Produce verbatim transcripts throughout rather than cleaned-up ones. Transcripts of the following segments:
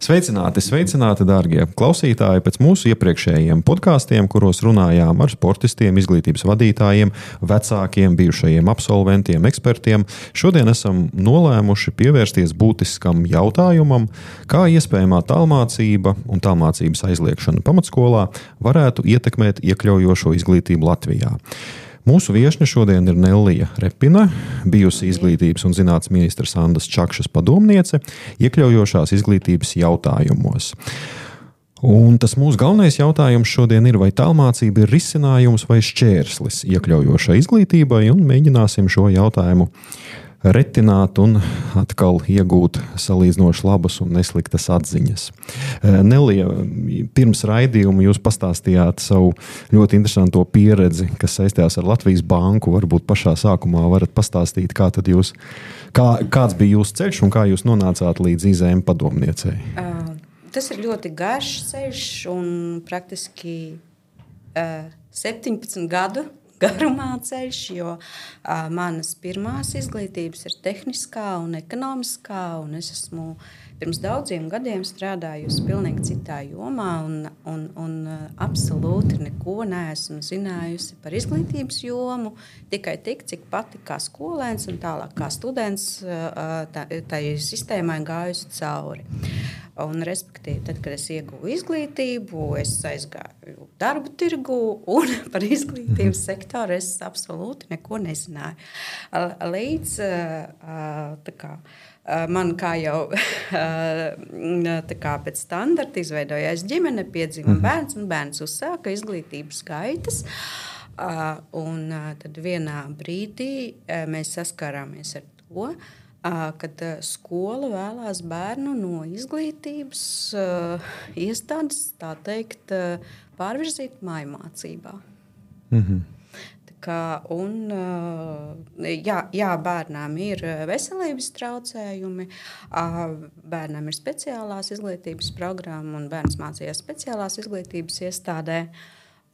Sveicināti, sveicināti, dārgie klausītāji! Pēc mūsu iepriekšējiem podkāstiem, kuros runājām ar sportistiem, izglītības vadītājiem, vecākiem, bijušajiem absolventiem, ekspertiem, šodien esam nolēmuši pievērsties būtiskam jautājumam, kā iespējamā tālmācība un tālmācības aizliekšana pamatskolā varētu ietekmēt iekļaujošo izglītību Latvijā. Mūsu viešņa šodien ir Nellija Repina, bijusi izglītības un zinātnes ministra Sandas Čakšas padomniece, iekļaujošās izglītības jautājumos. Un tas mūsu galvenais jautājums šodien ir, vai tālmācība ir risinājums vai šķērslis iekļaujošai izglītībai, un mēģināsim šo jautājumu retināt un atkal iegūt salīdzinoši labas un nesliktas atziņas. Nellija, pirms raidījuma jūs pastāstījāt savu ļoti interesanto pieredzi, kas saistījās ar Latvijas banku. Varbūt pašā sākumā varat pastāstīt, kā tad jūs, kā, kāds bija jūsu ceļš un kā jūs nonācāt līdz I Z M padomniecei. Uh, tas ir ļoti garš ceļš un praktiski uh, septiņpadsmit gadu garumā ceļš, jo uh, manas pirmās izglītības ir tehniskā un ekonomiskā, un es esmu pirms daudziem gadiem strādājusi pilnīgi citā jomā un, un, un uh, absolūti neko neesmu zinājusi par izglītības jomu, tikai tik, cik pati kā skolēns un tālāk kā students uh, tā, tai sistēmai gājusi cauri. Un, respektīvi, tad, kad es ieguvu izglītību, es aizgāju darbu tirgu un par izglītības sektoru es absolūti neko nezināju. Līdz tā kā, man kā jau tā kā pēc standarta izveidojās ģimene, piedzima bērns un bērns uzsāka izglītības gaitas. Un tad vienā brīdī mēs saskārāmies ar to, kad skola vēlās bērnu no izglītības uh, iestādes, tā teikt, uh, pārvirzīt mājmācībā. Mm-hmm. Tā kā, un, uh, jā, jā, bērnām ir veselības traucējumi, uh, bērnām ir speciālās izglītības programma un bērns mācījās speciālās izglītības iestādē.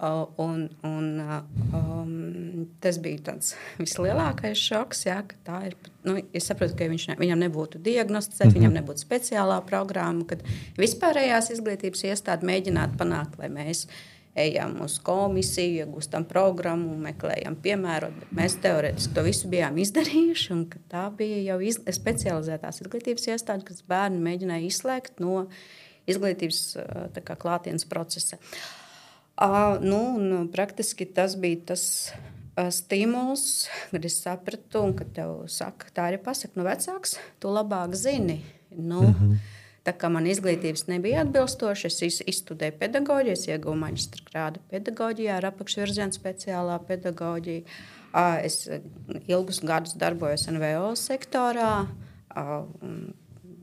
Uh, un, un, uh, um, tas bija tāds vislielākais šoks, jā, ka tā ir. Nu, es saprotu, ka viņš ne, viņam nebūtu diagnosticēta, mm-hmm. viņam nebūtu speciālā programma, kad vispārējās izglītības iestāde mēģinātu panākt, lai mēs ejam uz komisiju, iegūstam programmu, meklējam piemērot, bet mēs teorētiski to visu bijām izdarījuši, un ka tā bija jau iz, specializētās izglītības iestāde, kas bērni mēģināja izslēgt no izglītības tā kā klātienes procesa. Uh, nu, un praktiski tas bija tas uh, stimuls, kad es sapratu, un kad tev saka, tā arī pasaka, nu vecāks, tu labāk zini. Nu, mm-hmm. Tā kā man izglītības nebija atbilstoša, es izstudēju pedagoģiju, es ieguvu maģistra grādu pedagoģijā ar apakšvirzienu speciālā pedagoģija. Uh, es ilgus gadus darbojos N V O sektorā. Uh,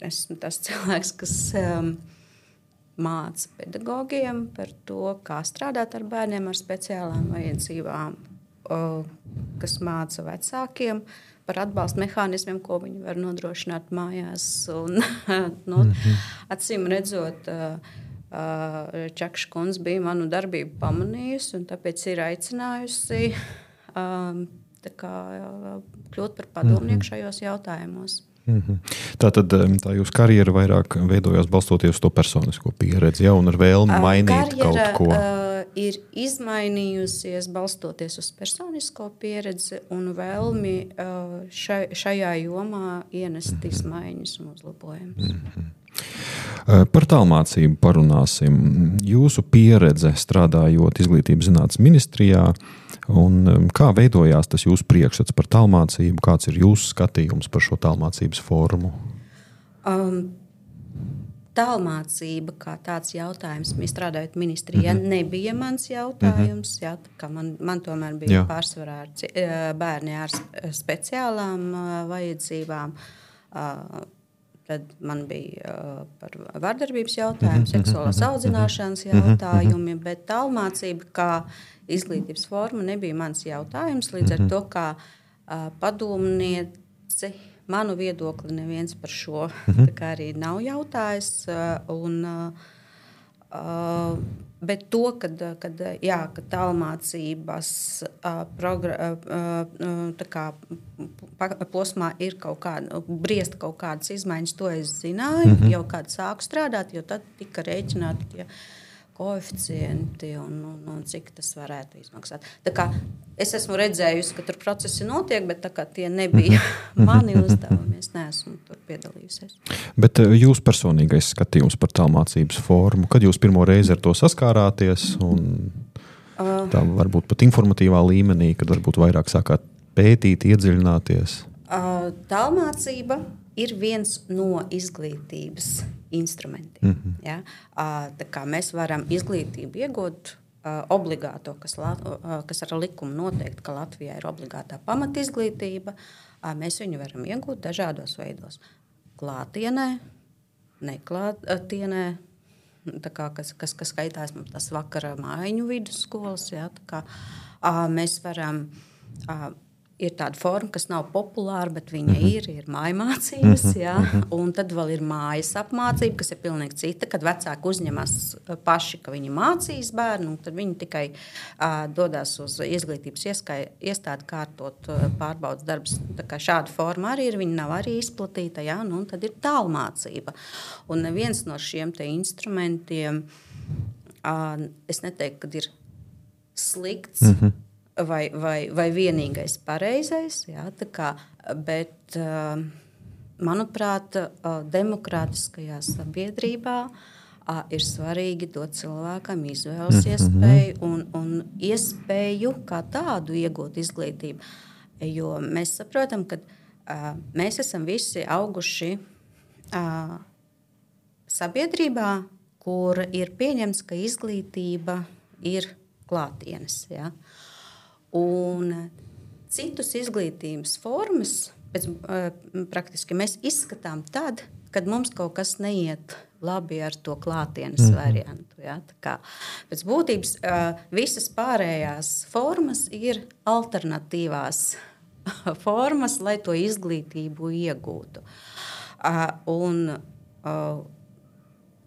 esmu tas cilvēks, kas Um, māca pedagogiem par to, kā strādāt ar bērniem ar speciālām vajadzībām, kas māca vecākiem par atbalsta mehānismiem, ko viņi var nodrošināt mājās. Un, nu, mm-hmm. Acīm redzot, Čakša kundze bija manu darbību pamanījusi un tāpēc ir aicinājusi tā kā, kļūt par padomnieku mm-hmm. šajos jautājumos. Mm-hmm. Tātad tā jūsu karjera vairāk veidojās balstoties uz to personisko pieredzi, ja, un ar vēlmi mainīt karjera, kaut ko. Uh, ir izmainījusies balstoties uz personisko pieredzi un vēlmi uh, šai, šajā jomā ienest mm-hmm. izmaiņas un uzlabojumus. Mm-hmm. Par tālmācību parunāsim. Jūsu pieredze strādājot izglītības zinātnes ministrijā, un kā veidojās tas jūsu priekšstats par tālmācību, kāds ir jūsu skatījums par šo tālmācības formu? Um, tālmācība kā tāds jautājums, mēs strādājot ministrijā, mm-hmm. nebija mans jautājums. Mm-hmm. Jā, kā man, man tomēr bija jā. Pārsvarā ar bērni ar speciālām vajadzībām. Uh, Tad man bija uh, par vardarbības jautājumu, seksuālās audzināšanas jautājumi, bet tālmācība kā izglītības forma nebija mans jautājums. Līdz ar to, kā uh, padomnieci, manu viedokli neviens par šo tā kā arī nav jautājis. Uh, un, uh, Uh, bet to, kad, kad, jā, kad tālmācības uh, progra, uh, tā kā posmā ir kaut kāda, briest kaut kādas izmaiņas, to es zināju, mm-hmm. jau kad sāku strādāt, jo tad tika rēķināti tie koeficienti un, un, un cik tas varētu izmaksāt. Tā kā es esmu redzējusi, ka tur procesi notiek, bet tā kā tie nebija mani uzdevumi, es neesmu tur piedalījusies. Bet jūs personīgais skatījums par tālmācības formu, kad jūs pirmo reizi ar to saskārāties un tā varbūt pat informatīvā līmenī, kad varbūt vairāk sākāt pētīt, iedziļināties? Tālmācība ir viens no izglītības instrumentiem. Mm-hmm. Ja? Tā kā mēs varam izglītību iegūt uh, obligāto, kas, uh, kas ar likumu noteikti, ka Latvijā ir obligātā pamatizglītība, uh, mēs viņu varam iegūt dažādos veidos. Klātienē, neklātienē, tā kā, kas, kas, kas skaitās tas vakara mājiņu vidusskolas. Ja? Tā kā, uh, mēs varam... Uh, Ir tāda forma, kas nav populāra, bet viņa mm-hmm. ir, ir mājmācības. Jā, un tad vēl ir mājas apmācība, kas ir pilnīgi cita, kad vecāki uzņemas paši, ka viņi mācīs bērnu, un tad viņi tikai uh, dodas uz izglītības ieskai, iestādi kārtot uh, pārbaudas darbus. Tā kā šāda forma arī ir, viņa nav arī izplatīta, jā, nu, un tad ir tālmācība. Un neviens no šiem te instrumentiem, uh, es neteiktu, kad ir slikts, mm-hmm. Vai, vai, vai vienīgais pareizais, jā, tā kā, bet, manuprāt, demokrātiskajā sabiedrībā ir svarīgi dot cilvēkam izvēles iespēju un, un iespēju kā tādu iegūt izglītību. Jo mēs saprotam, ka mēs esam visi auguši sabiedrībā, kur ir pieņemts, ka izglītība ir klātienes, jā. Un citus izglītības formas pēc, praktiski mēs izskatām tad, kad mums kaut kas neiet labi ar to klātienes mm-hmm. variantu. Ja? Tā kā, pēc būtības visas pārējās formas ir alternatīvās formas, lai to izglītību iegūtu. Un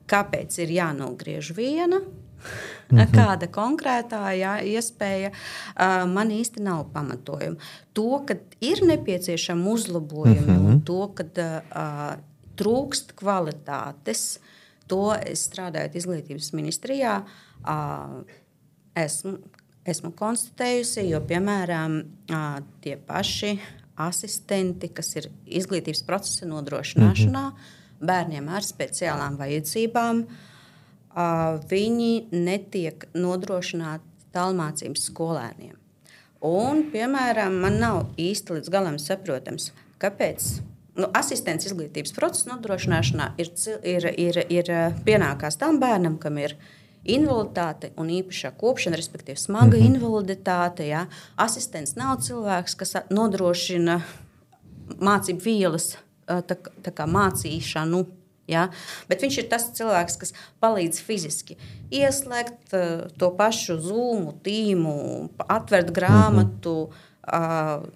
kāpēc ir jānogriež viena? Mm-hmm. Kāda konkrētā jā, iespēja uh, man īsti nav pamatojuma. To, ka ir nepieciešami uzlabojumi mm-hmm. un to, ka uh, trūkst kvalitātes, to es strādājot izglītības ministrijā, uh, esmu, esmu konstatējusi, jo, piemēram, uh, tie paši asistenti, kas ir izglītības procesa nodrošināšanā, mm-hmm. bērniem ar speciālām vajadzībām, Uh, viņi netiek nodrošināti tālmācības skolēniem. Un, piemēram, man nav īsti līdz galam saprotams, kāpēc nu, asistents izglītības procesa nodrošināšanā ir, ir, ir, ir pienākās tam bērnam, kam ir invaliditāte un īpašā kopšana, respektīvi smaga mm-hmm. invaliditāte. Ja? Asistents nav cilvēks, kas nodrošina mācību vielas, tā, tā kā mācīšanu. Ja? Bet viņš ir tas cilvēks, kas palīdz fiziski ieslēgt uh, to pašu Zoom, tīmu, atvert grāmatu, uh,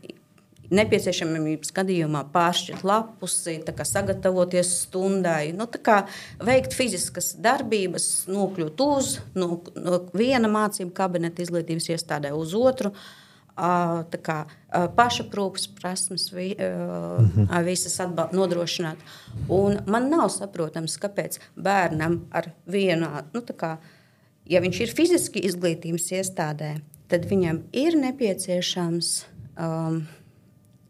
nepieciešamības gadījumā pāršķirt lapusi, tā kā sagatavoties stundai, nu, tā kā veikt fiziskas darbības, nokļūt uz no, no viena mācību kabineta izglītības iestādē uz otru. Uh, tā kā uh, pašaprūpes prasmes vi, uh, mm-hmm. visas atbal- nodrošināt. Un man nav saprotams, kāpēc bērnam ar vienu, nu tā kā, ja viņš ir fiziski izglītības iestādē, tad viņam ir nepieciešams um,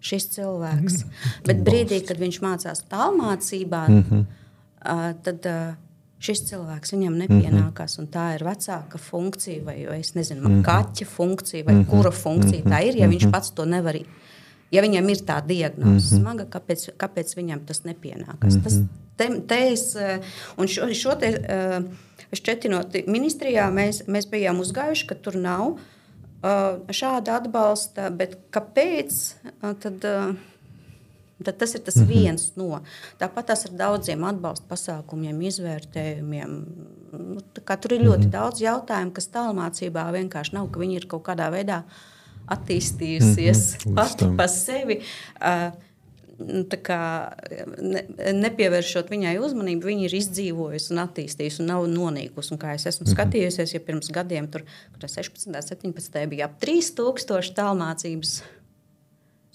šis cilvēks. Mm-hmm. Bet brīdī, kad viņš mācās tālmācībā, mm-hmm. uh, tad... Uh, šis cilvēks viņam nepienākās, mm-hmm. un tā ir vecāka funkcija, vai, vai es nezinu, mm-hmm. kaķa funkcija, vai mm-hmm. kura funkcija mm-hmm. tā ir, ja viņš pats to nevar, ja viņam ir tā diagnoze mm-hmm. smaga, kāpēc, kāpēc viņam tas nepienākās. Mm-hmm. Tas te, te es, un šo, šo te šķetinot ministrijā, mēs, mēs bijām uzgājuši, ka tur nav uh, šāda atbalsta, bet kāpēc, uh, tad... Uh, Tad tas ir tas mm-hmm. viens no. Tāpat tas ar daudziem atbalsta pasākumiem, izvērtējumiem. Nu, tur ir ļoti mm-hmm. daudz jautājumu, kas tālmācībā vienkārši nav, ka viņi ir kaut kādā veidā attīstījusies mm-hmm. pati pa sevi. Uh, tā kā ne, nepievēršot viņai uzmanību, viņa ir izdzīvojusi un attīstījusi un nav nonīkusi. Un kā es esmu skatījusies, ja pirms gadiem tur, kur sešpadsmit, septiņpadsmit bija ap trīs tūkstoši tālmācības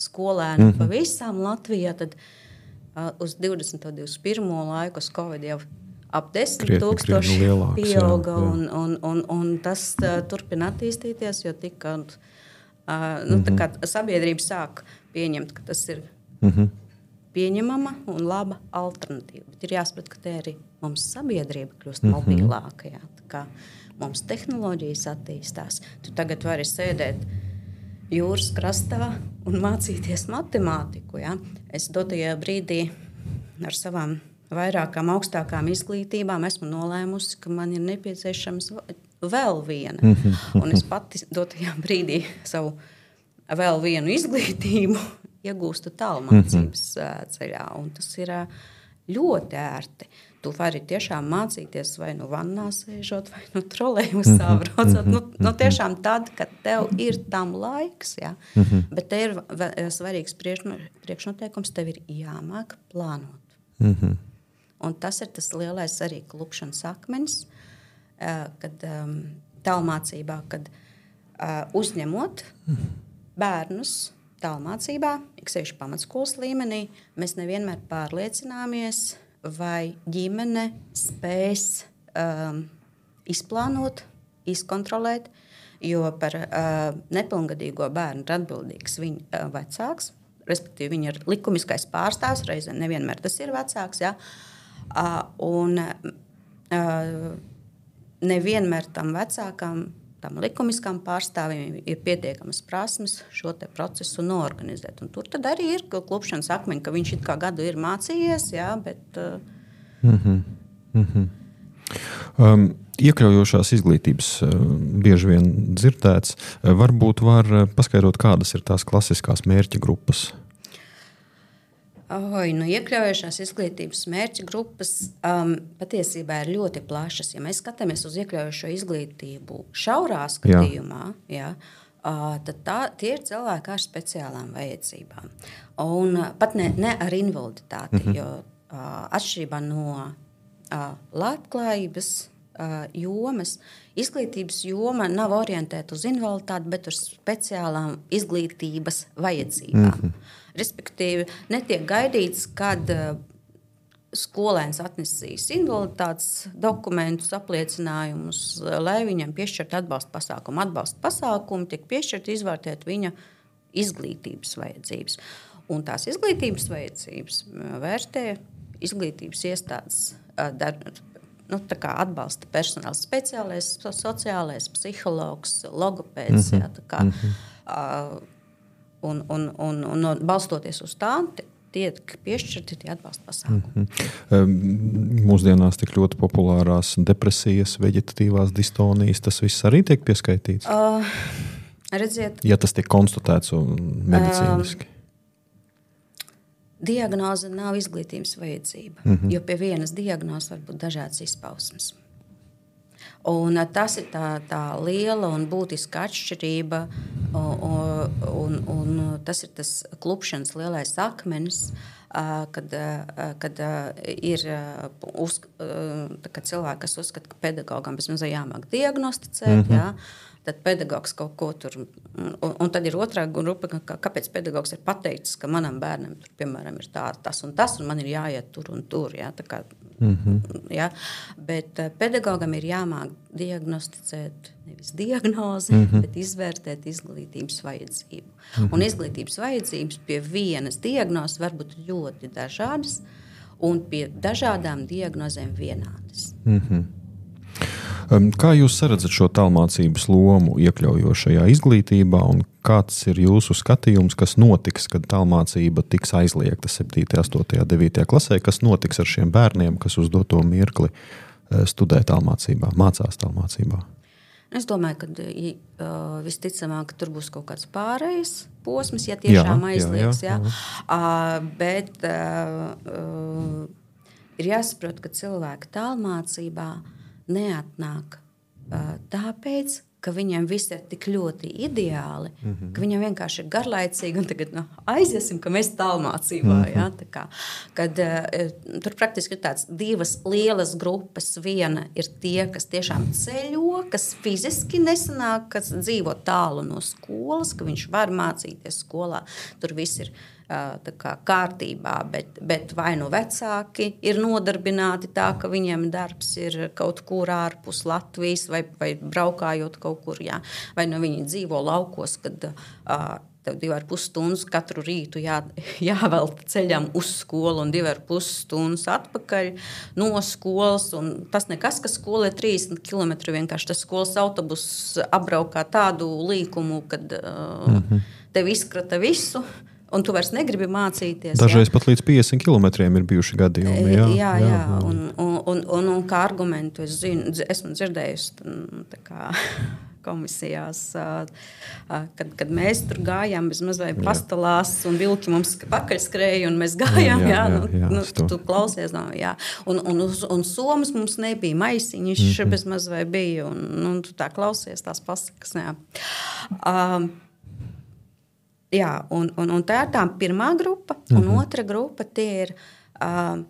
skolēnu mm-hmm. pa visām Latvijā, tad uh, uz divdesmito, divdesmit pirmo laiku uz Covid jau ap desmit tūkstoši pieauga, jā, jā. Un, un, un, un tas uh, turpina attīstīties, jo tika, uh, nu, tā kā sabiedrība sāk pieņemt, ka tas ir mm-hmm. pieņemama un laba alternatīva. Bet ir jāsaprot, ka te arī mums sabiedrība kļūst mm-hmm. mobilāka, jā. Tā kā mums tehnoloģijas attīstās. Tu tagad vari sēdēt jūras krastā un mācīties matemātiku, jā. Es dotajā brīdī ar savām vairākām augstākām izglītībām esmu nolēmusi, ka man ir nepieciešams vēl viena. Mm-hmm. Un es pati dotajā brīdī savu vēl vienu izglītību iegūstu tālmācības mm-hmm. ceļā. Un tas ir ļoti ērti. Tu vari tiešām mācīties vai nu vannā sēžot, vai nu trolejbusā braucot. Nu, nu tiešām tad, kad tev ir tam laiks. Ja? Mm-hmm. Bet te ir svarīgs priekšnoteikums, tev ir jāmāk plānot. Mm-hmm. Un tas ir tas lielais arī klupšanas akmenis, kad um, tālmācībā, kad uh, uzņemot bērnus tālmācībā, iksevišķi pamatskolas līmenī, mēs nevienmēr pārliecināmies, vai ģimene spēs um, izplānot, izkontrolēt, jo par uh, nepilngadīgo bērnu ir atbildīgs viņa uh, vecāks, respektīvi viņa ir likumiskais pārstāvs, reizē nevienmēr tas ir vecāks, jā. Uh, un uh, nevienmēr tam vecākam, tam likumiskam pārstāvim ir pietiekamas prasmes šo te procesu noorganizēt. Un tur tad arī ir klupšanas akmeņi, ka viņš it kā gadu ir mācījies, jā, bet... Uh... Mm-hmm. Mm-hmm. Um, iekļaujošās izglītības uh, bieži vien dzirdēts. Uh, varbūt var paskaidrot, kādas ir tās klasiskās mērķa grupas? Oi, nu, iekļaujošās izglītības mērķa grupas um, patiesībā ir ļoti plašas. Ja mēs skatāmies uz iekļaujošo izglītību šaurā skatījumā, jā. Jā, uh, tad tā, tie ir cilvēki ar speciālām vajadzībām. Un uh, pat ne, ne ar invaliditāti, mm-hmm. jo uh, atšķirībā no uh, labklājības uh, jomas, izglītības joma nav orientēta uz invaliditāti, bet uz speciālām izglītības vajadzībām. Mm-hmm. Respektīvi, netiek gaidīts, kad uh, skolēns atnesīs invaliditātes dokumentus, apliecinājumus, lai viņam piešķirt atbalsta pasākumu. Atbalsta pasākumu tiek piešķirt izvērtēt viņa izglītības vajadzības. Un tās izglītības vajadzības vērtē izglītības iestādes uh, dar, nu, tā kā atbalsta personāls, speciālais, sociālais, psihologs, logopēds, mm-hmm. jā, tā kā... Uh, Un, un, un, un balstoties uz tā, tiek piešķirti tie atbalsta pasākumi. Mm-hmm. Mūsdienās tik ļoti populārās depresijas, veģetatīvās distonijas, tas viss arī tiek pieskaitīts? Uh, redziet, ja tas tiek konstatēts medicīniski. Uh, diagnoze nav izglītības vajadzība, mm-hmm. jo pie vienas diagnozes var būt dažādas izpausmes. Un tas ir tā, tā liela un būtiska atšķirība, un, un, un tas ir tas klupšanas lielais akmenis, kad, kad ir uz, kad cilvēki, kas uzskata, ka pedagogam bezmaz jāmāk diagnosticēt, mm-hmm. jā, tad pedagogs kaut ko tur, un, un tad ir otrā grupa, ka, kāpēc pedagogs ir pateicis, ka manam bērnam tur, piemēram, ir tā, tas un tas, un man ir jāiet tur un tur, jā, tā kā, mm-hmm. jā, bet pedagogam ir jāmāk diagnosticēt nevis diagnozi, mm-hmm. bet izvērtēt izglītības vajadzību. Mm-hmm. Un izglītības vajadzības pie vienas diagnozes var būt ļoti dažādas, un pie dažādām diagnozēm vienādas. Mm-hmm. Kā jūs saredzat šo tālmācības lomu iekļaujošajā izglītībā un kāds ir jūsu skatījums, kas notiks, kad tālmācība tiks aizliegta septītajā, astotajā, devītajā klasē, kas notiks ar šiem bērniem, kas uz doto mirkli studē tālmācībā, mācās tālmācībā? Es domāju, ka uh, visticamāk tur būs kaut kāds pārējais posms, ja tiešām jā, aizliegs. Jā, jā, jā. Uh, bet uh, uh, ir jāsaprot, ka cilvēki tālmācībā neatnāk uh, tāpēc, ka viņiem viss ir tik ļoti ideāli, mm-hmm. ka viņiem vienkārši ir garlaicīgi un tagad nu, aiziesim, ka mēs tālmācībā. Mm-hmm. Ja, tā kā, kad, uh, tur praktiski ir tāds divas lielas grupas. Viena ir tie, kas tiešām ceļo, kas fiziski nesanāk, kas dzīvo tālu no skolas, ka viņš var mācīties skolā. Tur viss ir tā kā kārtībā, bet, bet vai nu vecāki ir nodarbināti tā, ka viņiem darbs ir kaut kur ārpus Latvijas vai, vai braukājot kaut kur, jā. Vai nu viņi dzīvo laukos, kad uh, tev divi ar pus stundas katru rītu jā, jāvelta ceļam uz skolu un divi ar pus stundas atpakaļ no skolas. Un tas nekas, ka skola ir trīsdesmit kilometri, vienkārši tas skolas autobus apbraukā tādu līkumu, kad uh, mm-hmm. tev izkrata visu. Un tu vairs negribi mācīties. Dažreiz jā. Pat līdz piecdesmit kilometriem ir bijuši gadījumi. Jā, jā, jā. jā. Un, un, un, un, un kā argumentu es zinu, esmu dzirdējusi tā kā komisijās, kad, kad mēs tur gājām bez mazliet pastalās un vilki mums pakaļ skrēja un mēs gājām. Jā, jā, jā, jā, jā, nu, tu, tu klausies. No, jā. Un, un, un, un somas mums nebija, maisiņš mm-hmm. bez mazliet bija. Un, un tu tā klausies tās pasakas. Jā. Um, Jā, un, un, un tā ir tā pirmā grupa, un mm-hmm. otra grupa tie ir uh,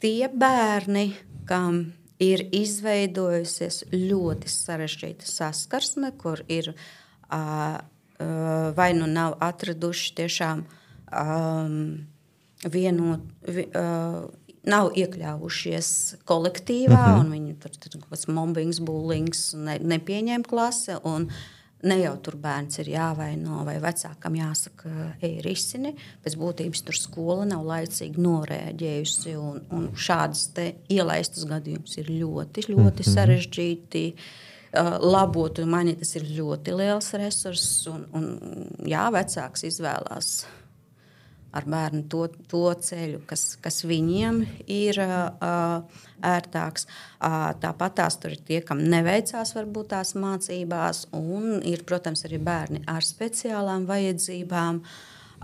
tie bērni, kam ir izveidojusies ļoti sarežģīta saskarsme, kur ir uh, uh, vai nu nav atraduši tiešām um, vienot, vi, uh, nav iekļāvušies kolektīvā, mm-hmm. un viņi tur tur kaut kāds mobbings, bullings, ne, nepieņēma klase, un ne jau tur bērns ir jāvaino vai vecākam jāsaka, ej risini, pēc būtības tur skola nav laicīgi norēģējusi, un, un šādas te ielaistas gadījumus ir ļoti, ļoti mm-hmm. sarežģīti uh, labot, un man tas ir ļoti liels resurss, un, un jā, vecāks izvēlās ar bērnu to, to ceļu, kas, kas viņiem ir uh, ērtāks. Uh, tāpat tās tur ir tie, kam neveicās varbūt tās mācībās, un ir, protams, arī bērni ar speciālām vajadzībām.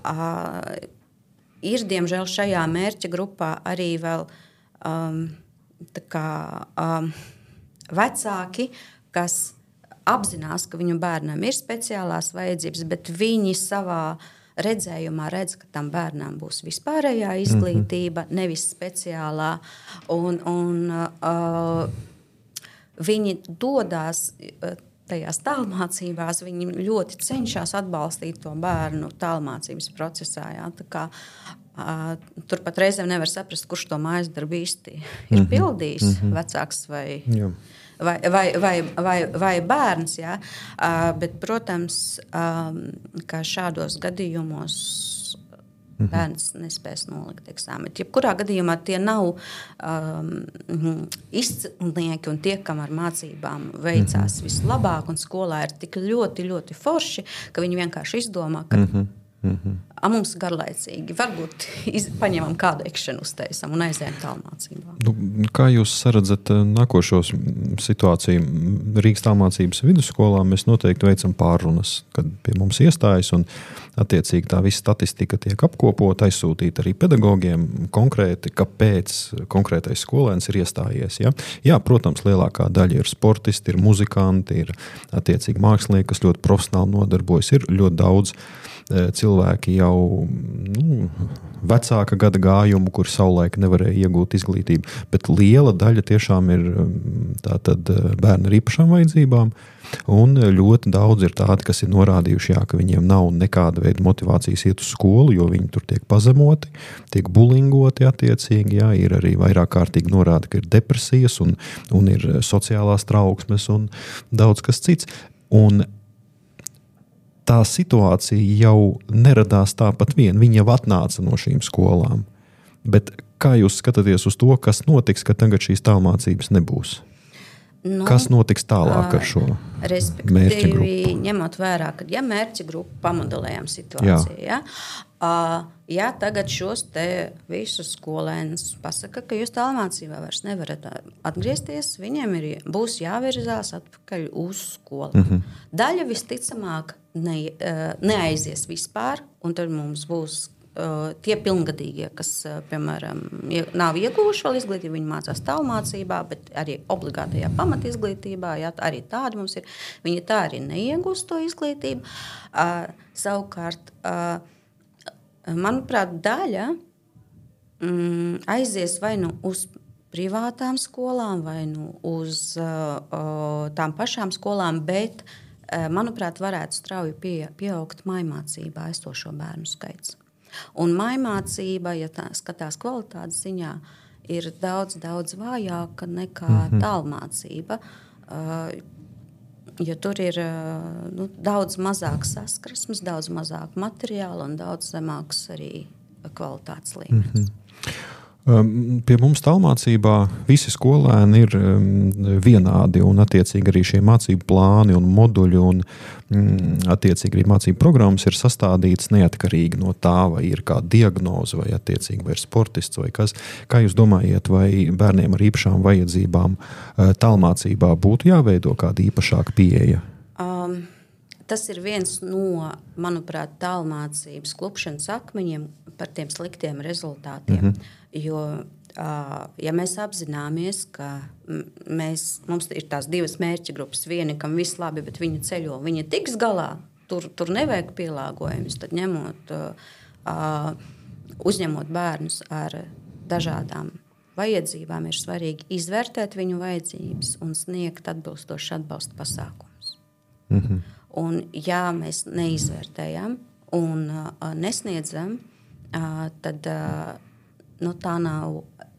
Uh, ir, diemžēl, šajā mērķa grupā arī vēl um, tā kā, um, vecāki, kas apzinās, ka viņu bērnam ir speciālās vajadzības, bet viņi savā redzējumā redz, ka tam bērnam būs vispārējā izglītība, mm-hmm. nevis speciālā. Un, un uh, viņi dodās tajās tālmācībās, viņi ļoti cenšas atbalstīt to bērnu tālmācības procesā. Jā. Tā kā, uh, tur pat reizēm nevar saprast, kurš to mājas darbu īsti ir mm-hmm. pildījis, mm-hmm. vecāks vai... Jā. Vai, vai, vai, vai, vai bērns, jā. Uh, bet, protams, um, ka šādos gadījumos mm-hmm. bērns nespēs nolikt eksāmenu. Jebkurā gadījumā tie nav um, izcilnieki un tie, kam ar mācībām veicās mm-hmm. vislabāk, un skolā ir tik ļoti, ļoti forši, ka viņi vienkārši izdomā, ka mm-hmm. Mm-hmm. A, mums garlaicīgi. Varbūt iz, paņemam kādu ekšanu uztaisam un aizējam tālmācībā. Nu, kā jūs saredzat nākošo situāciju? Rīgas tālmācības vidusskolā mēs noteikti veicam pārrunas, kad pie mums iestājas un attiecīgi tā visa statistika tiek apkopota, aizsūtīta arī pedagogiem konkrēti, kāpēc konkrētais skolēns ir iestājies. Ja? Jā, protams, lielākā daļa ir sportisti, ir muzikanti, ir attiecīgi mākslinieki, kas ļoti profesionāli nodarbojas, ir ļoti daudz cilvēki jau nu, vecāka gada gājumu, kur savulaik nevarēja iegūt izglītību, bet liela daļa tiešām ir tātad bērni ar īpašām vajadzībām, un ļoti daudz ir tādi, kas ir norādījuši, jā, ka viņiem nav nekāda veida motivācijas iet uz skolu, jo viņi tur tiek pazemoti, tiek bulingoti attiecīgi, jā, ir arī vairāk kārtīgi norāda, ka ir depresijas un, un ir sociālās trauksmes un daudz kas cits. Un tā situācija jau neradās tāpat vien. Viņi jau atnāca no šīm skolām. Bet kā jūs skatāties uz to, kas notiks, ka tagad šīs tālmācības nebūs? Nu, kas notiks tālāk ar šo mērķa grupu? Ņemot vērā, ka ja mērķa grupu pamodelējam situāciju, jā. Ja, ja tagad šos te visus skolēnus pasaka, ka jūs tālmācībā vairs nevarat atgriezties, viņiem ir, būs jāvirzās atpakaļ uz skolu. Mm-hmm. Daļa visticamāk ne, neaizies vispār, un tad mums būs tie pilngadīgie, kas, piemēram, nav ieguvuši vēl izglītību, viņi mācās tālmācībā, bet arī obligātajā pamatizglītībā, jā, arī tādi mums ir, viņi tā arī neiegūst to izglītību. Uh, savukārt, uh, manuprāt, daļa mm, aizies vai nu uz privātām skolām, vai nu uz uh, tām pašām skolām, bet, uh, manuprāt, varētu strauji pie, pieaugt mājmācībā esošo bērnu skaits. Un mājmācība, ja tā skatās kvalitātes ziņā, ir daudz, daudz vājāka nekā mm-hmm. tālmācība, uh, jo tur ir uh, nu, daudz mazāk saskarsmes, daudz mazāk materiāla un daudz zemāks arī kvalitātes līmenis. Mm-hmm. Pie mums tālmācībā visi skolēni ir vienādi un attiecīgi arī šie mācību plāni un moduļi un attiecīgi arī mācību programmas ir sastādītas neatkarīgi no tā, vai ir kāda diagnoze vai attiecīgi vai ir sportists vai kas. Kā jūs domājat, vai bērniem ar īpašām vajadzībām tālmācībā būtu jāveido kāda īpašāka pieeja? Um. Tas ir viens no, manuprāt, tālmācības klupšanas akmeņiem par tiem sliktiem rezultātiem. Mm-hmm. Jo, ja mēs apzināmies, ka mēs, mums ir tās divas mērķa grupas, viena, kam viss labi, bet viņa ceļo, viņa tiks galā, tur, tur nevajag pielāgojumus, tad ņemot, uzņemot bērnus ar dažādām vajadzībām, ir svarīgi izvērtēt viņu vajadzības un sniegt atbilstoši atbalsta pasākumus. Mm-hmm. Un, ja mēs neizvērtējam un uh, nesniedzam, uh, tad uh, nu, tā nav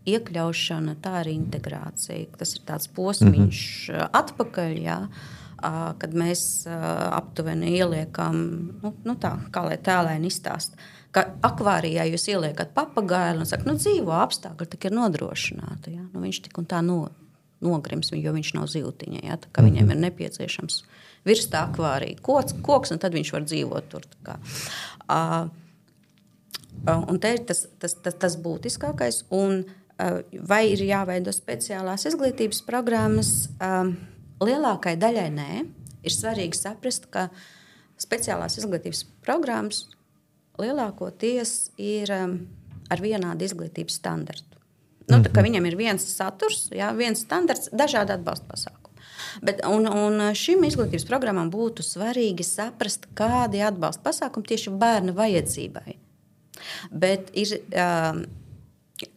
iekļaušana, tā ir integrācija. Tas ir tāds posmiņš uh, atpakaļ, jā, uh, kad mēs uh, aptuveni ieliekam, nu, nu tā, kā lai tēlēni izstāst, ka akvārijā jūs ieliekat papagailu un saka, nu dzīvo apstākļi tik ir nodrošināti. Jā? Nu, viņš tik un tā no, nogrims, jo viņš nav zivtiņa, jā? Tā kā mm-hmm. viņiem ir nepieciešams virs tā akvārija koks, koks, un tad viņš var dzīvot tur. Tā kā. Uh, un te ir tas, tas, tas, tas būtiskākais. Un, uh, vai ir jāveido speciālās izglītības programmas? Uh, lielākai daļai nē. Ir svarīgi saprast, ka speciālās izglītības programmas lielākoties ir um, ar vienādu izglītības standartu. Nu, tā kā viņam ir viens saturs, jā, viens standarts, dažādi atbalsta pasākumi. Bet, un, un šim izglītības programmām būtu svarīgi saprast, kādi atbalsta pasākumi tieši bērna vajadzībai. Bet ir, um,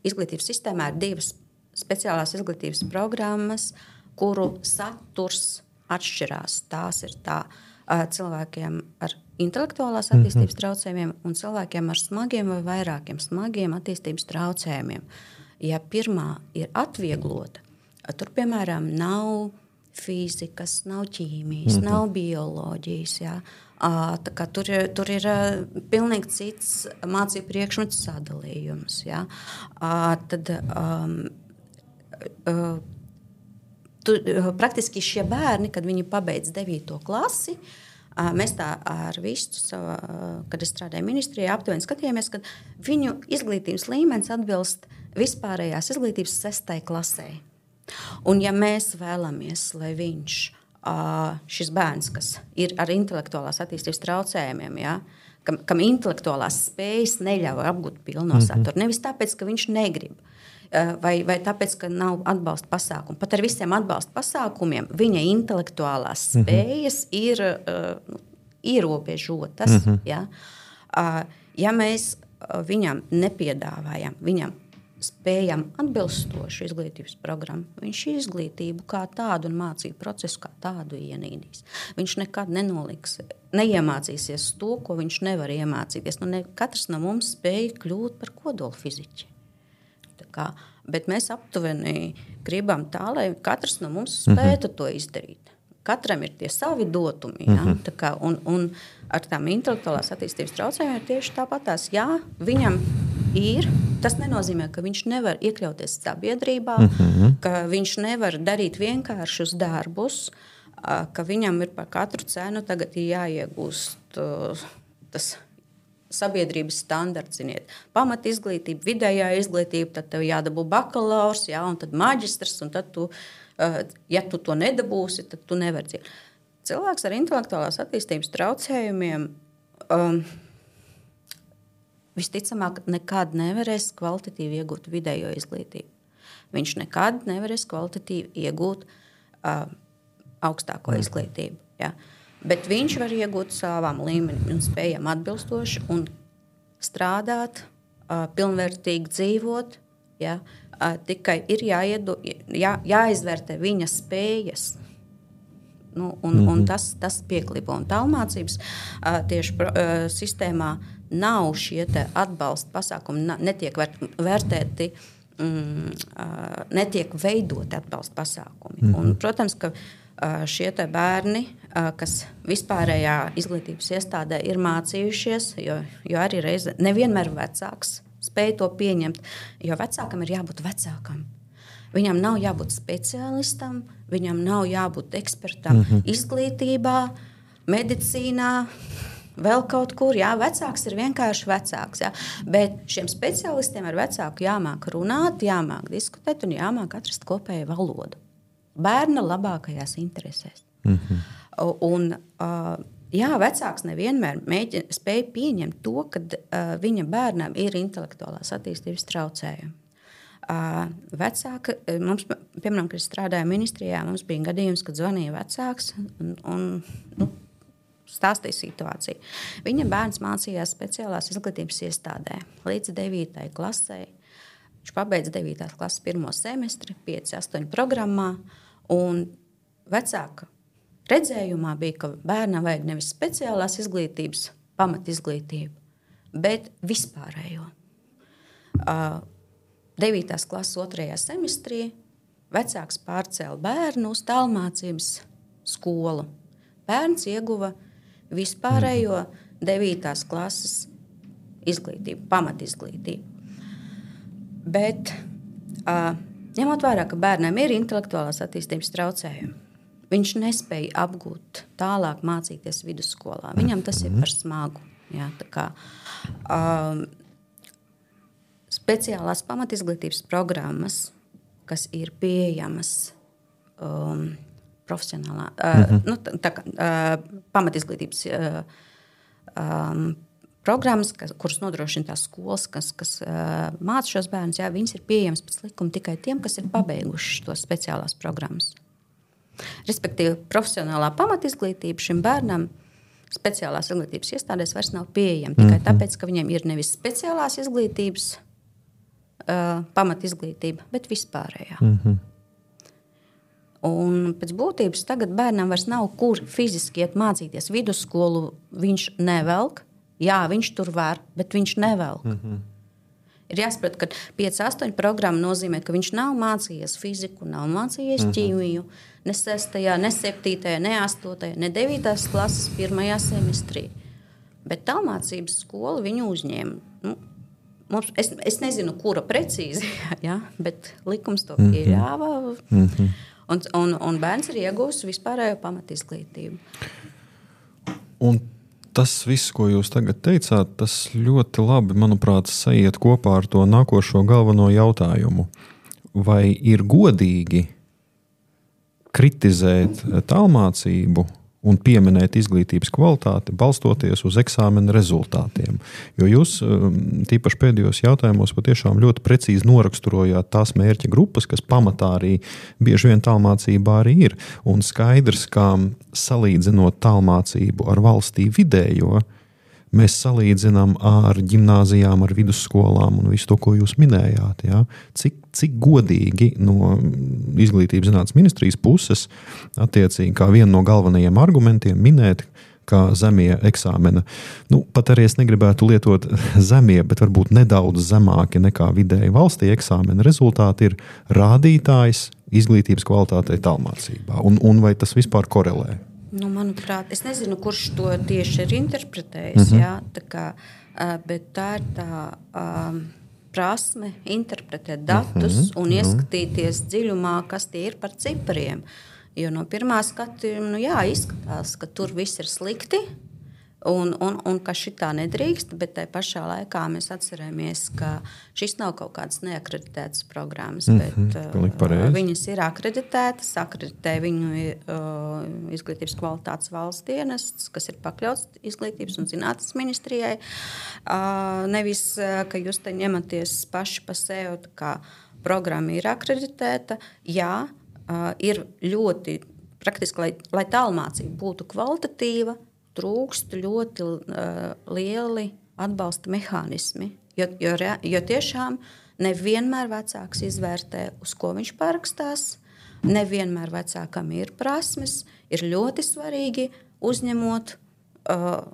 izglītības sistēmā ir divas speciālās izglītības programmas, kuru saturs atšķirās. Tās ir tā uh, cilvēkiem ar intelektuālās attīstības traucējumiem un cilvēkiem ar smagiem vai vairākiem smagiem attīstības traucējumiem. Ja pirmā ir atvieglota, tur, piemēram, nav fizikas, nav ķīmijas, mm-hmm. nav bioloģijas. Jā. Tā kā tur, tur ir pilnīgi cits mācību priekšmetu sadalījums. Jā. Tad um, tu, praktiski šie bērni, kad viņi pabeidz devīto klasi, mēs tā ar visu, kad es strādāju ministrijā, aptuveni skatījāmies, ka viņu izglītības līmenis atbilst vispārējās izglītības sestai klasē. Un ja mēs vēlamies, lai viņš, šis bērns, kas ir ar intelektuālās attīstības traucējumiem, ja, kam, kam intelektuālās spējas neļauj apgūt pilno saturu, mm-hmm. nevis tāpēc, ka viņš negrib, vai, vai tāpēc, ka nav atbalsta pasākumu. Pat ar visiem atbalsta pasākumiem viņa intelektuālās spējas mm-hmm. ir uh, ierobežotas. Mm-hmm. Ja. Uh, ja mēs viņam nepiedāvājam, viņam spējam atbilstošu izglītības programmu, viņš izglītību kā tādu un mācību procesu kā tādu ienīdīs. Viņš nekad nenoliks, neiemācīsies to, ko viņš nevar iemācīties. Nu, ne, katrs no mums spēja kļūt par kodolfiziķi. Tā kā, bet mēs aptuveni gribam tā, lai katrs no mums spētu mm-hmm. to izdarīt. Katram ir tie savi dotumi. Ja? Mm-hmm. Tā kā, un, un ar tām intelektuālās attīstības traucējumiem ir tieši tāpatās. Jā, viņam ir. Tas nenozīmē, ka viņš nevar iekļauties sabiedrībā, mm-hmm. ka viņš nevar darīt vienkāršus darbus, ka viņam ir par katru cenu tagad jāiegūst tas sabiedrības standarts, ziniet, pamat izglītība, vidējā izglītība, tad tev jādabū bakalaurs, jā, un tad maģistrs, un tad tu, ja tu to nedabūsi, tad tu nevari dzīvot. Cilvēks ar intelektuālās attīstības traucējumiem, um, visticamāk nekad nevarēs kvalitatīvi iegūt vidējo izglītību. Viņš nekad nevarēs kvalitatīvi iegūt uh, augstāko mm. izglītību. Ja? Bet viņš var iegūt savām līmenim un spējām atbilstoši un strādāt, uh, pilnvērtīgi dzīvot. Ja? Uh, tikai ir jāiedu, jā, jāizvērtē viņa spējas. Nu, un, mm-hmm. un tas, tas pieklipo. Un tālmācības uh, tieši pro, uh, sistēmā nav šie atbalsta pasākumi, netiek vērtēti, mm, uh, netiek veidoti atbalsta pasākumi. Mm-hmm. Un, protams, ka uh, šie bērni, uh, kas vispārējā izglītības iestādē ir mācījušies, jo, jo arī reize nevienmēr vecāks spēj to pieņemt, jo vecākam ir jābūt vecākam. Viņam nav jābūt speciālistam, viņam nav jābūt ekspertam mm-hmm. izglītībā, medicīnā, vēl kaut kur. Jā, vecāks ir vienkārši vecāks. Jā. Bet šiem speciālistiem ar vecāku jāmāk runāt, jāmāk diskutēt un jāmāk atrast kopēju valodu. Bērna labākajās interesēs. Mm-hmm. Un, jā, vecāks nevienmēr mēģina, spēj pieņemt to, ka viņa bērnam ir intelektuālās attīstības traucējumi. Vecāka, mums, piemēram, kad strādāja ministrijā, mums bija gadījums, kad zvanīja vecāks un, un nu, stāstīja situāciju. Viņa bērns mācījās speciālās izglītības iestādē līdz devītai klasei. Viņš pabeidza devītās klases pirmo semestri, pieci astoņi programmā, un vecāka redzējumā bija, ka bērnam vajag nevis speciālās izglītības pamatizglītību, bet vispārējo. Uh, devītās klases otrajā semestrī vecāks pārcēla bērnu uz tālmācības skolu. Bērns ieguva vispārējo devītās klases izglītību, pamatizglītību. Bet, uh, ņemot vērā, ka bērnam ir intelektuālās attīstības traucējumi, viņš nespēja apgūt tālāk mācīties vidusskolā. Viņam tas ir par smagu. Jā, tā kā, uh, speciālās pamatizglītības programmas, kas ir pieejamas um, profesionālā, uh, mm-hmm. nu, tā, tā kā uh, pamatizglītības uh, um, programmas, kas, kuras nodrošina tās skolas, kas, kas uh, māca šos bērnus, jā, viņas ir pieejamas pēc likuma tikai tiem, kas ir pabeiguši tos speciālās programmas. Respektīvi, profesionālā pamatizglītība šim bērnam speciālās izglītības iestādēs vairs nav pieejama, tikai mm-hmm. tāpēc, ka viņiem ir nevis speciālās izglītības Uh, pamatizglītība, bet vispārējā. Mm-hmm. Un pēc būtības tagad bērnam vairs nav kur fiziski iet mācīties. Vidusskolu viņš nevelk. Jā, viņš tur var, bet viņš nevelk. Mm-hmm. Ir jāsaprot, ka pieci astoņi programma nozīmē, ka viņš nav mācījies fiziku, nav mācījies mm-hmm. ķīmiju, ne sestajā, ne septītajā, ne astotajā, ne devītās klases pirmajā semestrī. Bet tālmācības skola viņu uzņēma. Nu, Mums, es, es nezinu, kura precīzi, ja, bet likums to pieļāva. Mm-hmm. Un, un, un bērns ir iegūst vispārējo pamatizglītību. Un tas viss, ko jūs tagad teicāt, tas ļoti labi, manuprāt, sajiet kopā ar to nākošo galveno jautājumu. Vai ir godīgi kritizēt tālmācību un pieminēt izglītības kvalitāti, balstoties uz eksāmena rezultātiem? Jo jūs, tīpaši pēdējos jautājumos, patiešām ļoti precīzi noraksturojāt tās mērķa grupas, kas pamatā arī bieži vien tālmācībā arī ir. Un skaidrs, ka salīdzinot tālmācību ar valstī vidējo, mēs salīdzinām ar ģimnāzijām, ar vidusskolām un visu to, ko jūs minējāt. Ja? Cik, cik godīgi no izglītības zinātnes ministrijas puses attiecīgi kā vienu no galvenajiem argumentiem minēt, kā zemie eksāmena, nu, pat arī es negribētu lietot zemie, bet varbūt nedaudz zemāki nekā vidēji valstī eksāmena rezultāti ir rādītājs izglītības kvalitātei tālmācībā. Un, un vai tas vispār korelē? Nu, manuprāt, es nezinu, kurš to tieši ir interpretējis, mm-hmm. jā, tā kā, bet tā ir tā um, prasme interpretēt datus mm-hmm. un ieskatīties dziļumā, kas tie ir par cipariem. Jo no pirmā skatījuma, nu jā, izskatās, ka tur viss ir slikti, Un, un, un ka šitā nedrīkst, bet tai pašā laikā mēs atceramies, ka šis nav kaut kādas neakreditētas programmas, mm-hmm, bet uh, viņas ir akreditētas, akreditē viņu uh, izglītības kvalitātes valsts dienests, kas ir pakļauts Izglītības un zinātnes ministrijai. Uh, nevis, uh, ka jūs te ņematies paši pa sevi, kā programma ir akreditēta, jā, uh, ir ļoti praktiski, lai, lai tālmācība būtu kvalitatīva, trūkst ļoti uh, lieli atbalsta mehānismi, jo, jo, jo tiešām nevienmēr vecāks izvērtē, uz ko viņš parakstās, nevienmēr vecākam ir prasmes, ir ļoti svarīgi uzņemot uh,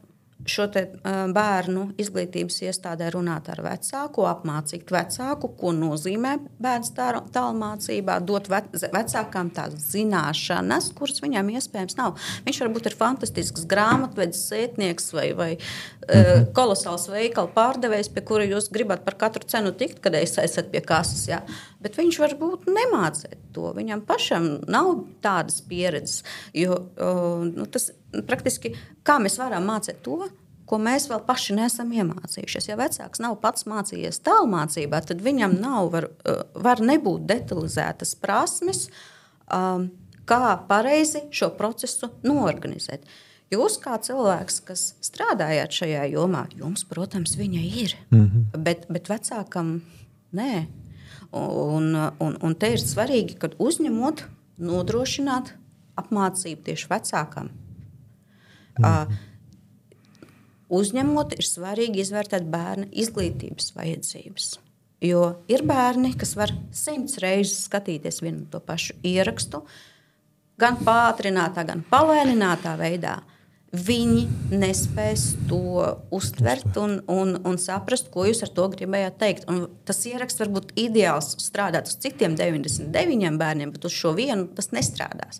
šo te, uh, bērnu izglītības iestādē runāt ar vecāku, apmācīt vecāku, ko nozīmē bērns tālmācībā, dot ve- vecākām tās zināšanas, kuras viņam iespējams nav. Viņš varbūt ir fantastisks grāmatvedis, sētnieks vai, vai uh, kolosāls veikala pārdevējs, pie kura jūs gribat par katru cenu tikt, kad es esat pie kases, jā. Bet viņš varbūt nemācēt to. Viņam pašam nav tādas pieredzes, jo uh, nu, tas praktiski, kā mēs varam mācīt to, ko mēs vēl paši neesam iemācījušies. Ja vecāks nav pats mācījies tālmācībā, tad viņam nav, var, var nebūt detalizētas prasmes, um, kā pareizi šo procesu noorganizēt. Jūs kā cilvēks, kas strādājāt šajā jomā, jums, protams, viņa ir, mm-hmm. bet, bet vecākam nē. Un, un, un te ir svarīgi, kad uzņemot, nodrošināt apmācību tieši vecākam. Uh, uzņemot, ir svarīgi izvērtēt bērna izglītības vajadzības. Jo ir bērni, kas var simts reizes skatīties vienu to pašu ierakstu, gan pātrinātā, gan palēninātā veidā. Viņi nespēs to uztvert un, un, un saprast, ko jūs ar to gribējāt teikt. Un tas ieraksts var būt ideāls strādāt uz citiem deviņdesmit deviņiem bērniem, bet uz šo vienu tas nestrādās.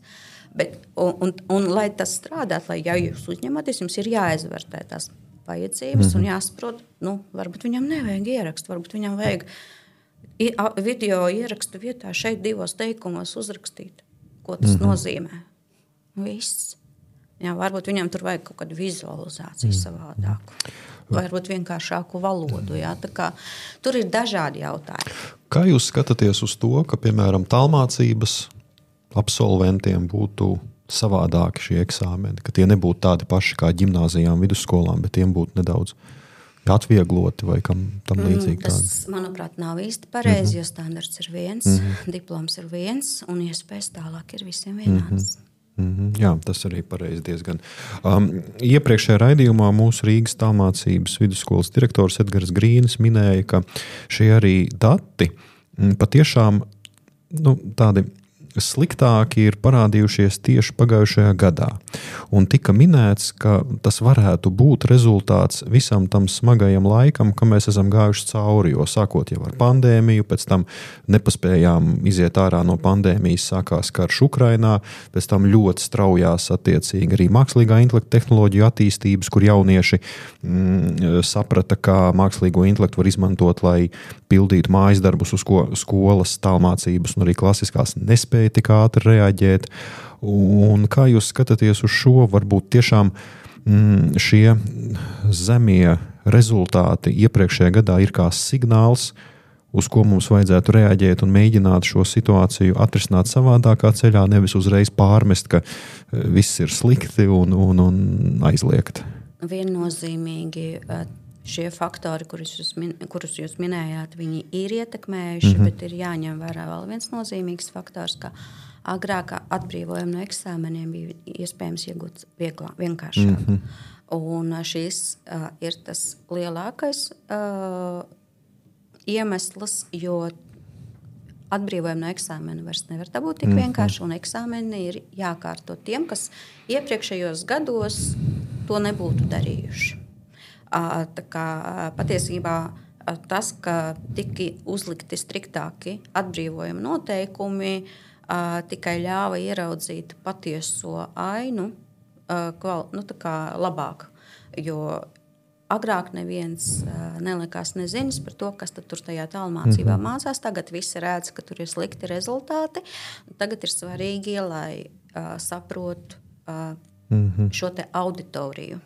Bet, un, un, un, lai tas strādātu, lai ja jūs uzņematies, jums ir jāizvērtē tās vajadzības mm-hmm. un jāsaprot, nu, varbūt viņam nevajag ierakstu, varbūt viņam vajag video ierakstu vietā šeit divos teikumos uzrakstīt, ko tas mm-hmm. nozīmē. Viss. Jā, varbūt viņam tur vajag kaut kādu vizualizāciju mm-hmm. savādāku. Vai varbūt vienkāršāku valodu. Jā. Tā kā, tur ir dažādi jautājumi. Kā jūs skatāties uz to, ka, piemēram, tālmācības absolventiem būtu savādāki šie eksāmeni, ka tie nebūtu tādi paši kā ģimnāzijām, vidusskolām, bet tiem būtu nedaudz atviegloti vai kam tam līdzīgi? Mm, tas, manuprāt, nav īsti pareizi, mm-hmm. jo standarts ir viens, mm-hmm. diploms ir viens un iespējas tālāk ir visiem vienāds. Mm-hmm. Mm-hmm. Jā, tas arī pareizi diezgan. Um, iepriekšējā raidījumā mūsu Rīgas tālmācības vidusskolas direktors Edgars Grīnis minēja, ka šie arī dati patiešām nu, tādi sliktāki ir parādījušies tieši pagājušajā gadā. Un tika minēts, ka tas varētu būt rezultāts visam tam smagajam laikam, ka mēs esam gājuši cauri, jo sākot jau ar pandēmiju, pēc tam nepaspējām iziet ārā no pandēmijas, sākās karš Ukrainā, pēc tam ļoti straujās attiecīgi arī mākslīgā intelekta tehnoloģiju attīstības, kur jaunieši mm, saprata, kā mākslīgo intelektu var izmantot, lai pildītu mājas darbus, uz ko skolas tālmācības un arī klasiskās nespēja tik ātri reaģēt. Un kā jūs skatāties uz šo, varbūt tiešām mm, šie zemie rezultāti iepriekšējā gadā ir kā signāls, uz ko mums vajadzētu reaģēt un mēģināt šo situāciju atrisināt savādākā ceļā, nevis uzreiz pārmest, ka viss ir slikti un, un, un aizliegt? Viennozīmīgi šie faktori, kurus jūs, min, kurus jūs minējāt, viņi ir ietekmējuši, mm-hmm. bet ir jāņem vērā vēl viens nozīmīgs faktors, ka agrāk atbrīvojumu no eksāmeniem bija iespējams iegūt vieglā, vienkāršāk. Mm-hmm. Un šis uh, ir tas lielākais uh, iemesls, jo atbrīvojumu no eksāmena vairs nevar dabūt tik mm-hmm. vienkārši, un eksāmeni ir jākārto tiem, kas iepriekšējos gados to nebūtu darījuši. Tā kā patiesībā tas, ka tika uzlikti striktāki atbrīvojuma noteikumi, tikai ļāva ieraudzīt patieso ainu nu, tā kā labāk. Jo agrāk neviens nelikās nezinis par to, kas tad tur tajā tālmācībā mm-hmm. mācās. Tagad visi redz, ka tur ir slikti rezultāti. Tagad ir svarīgi, lai saprotu mm-hmm. šo te auditoriju.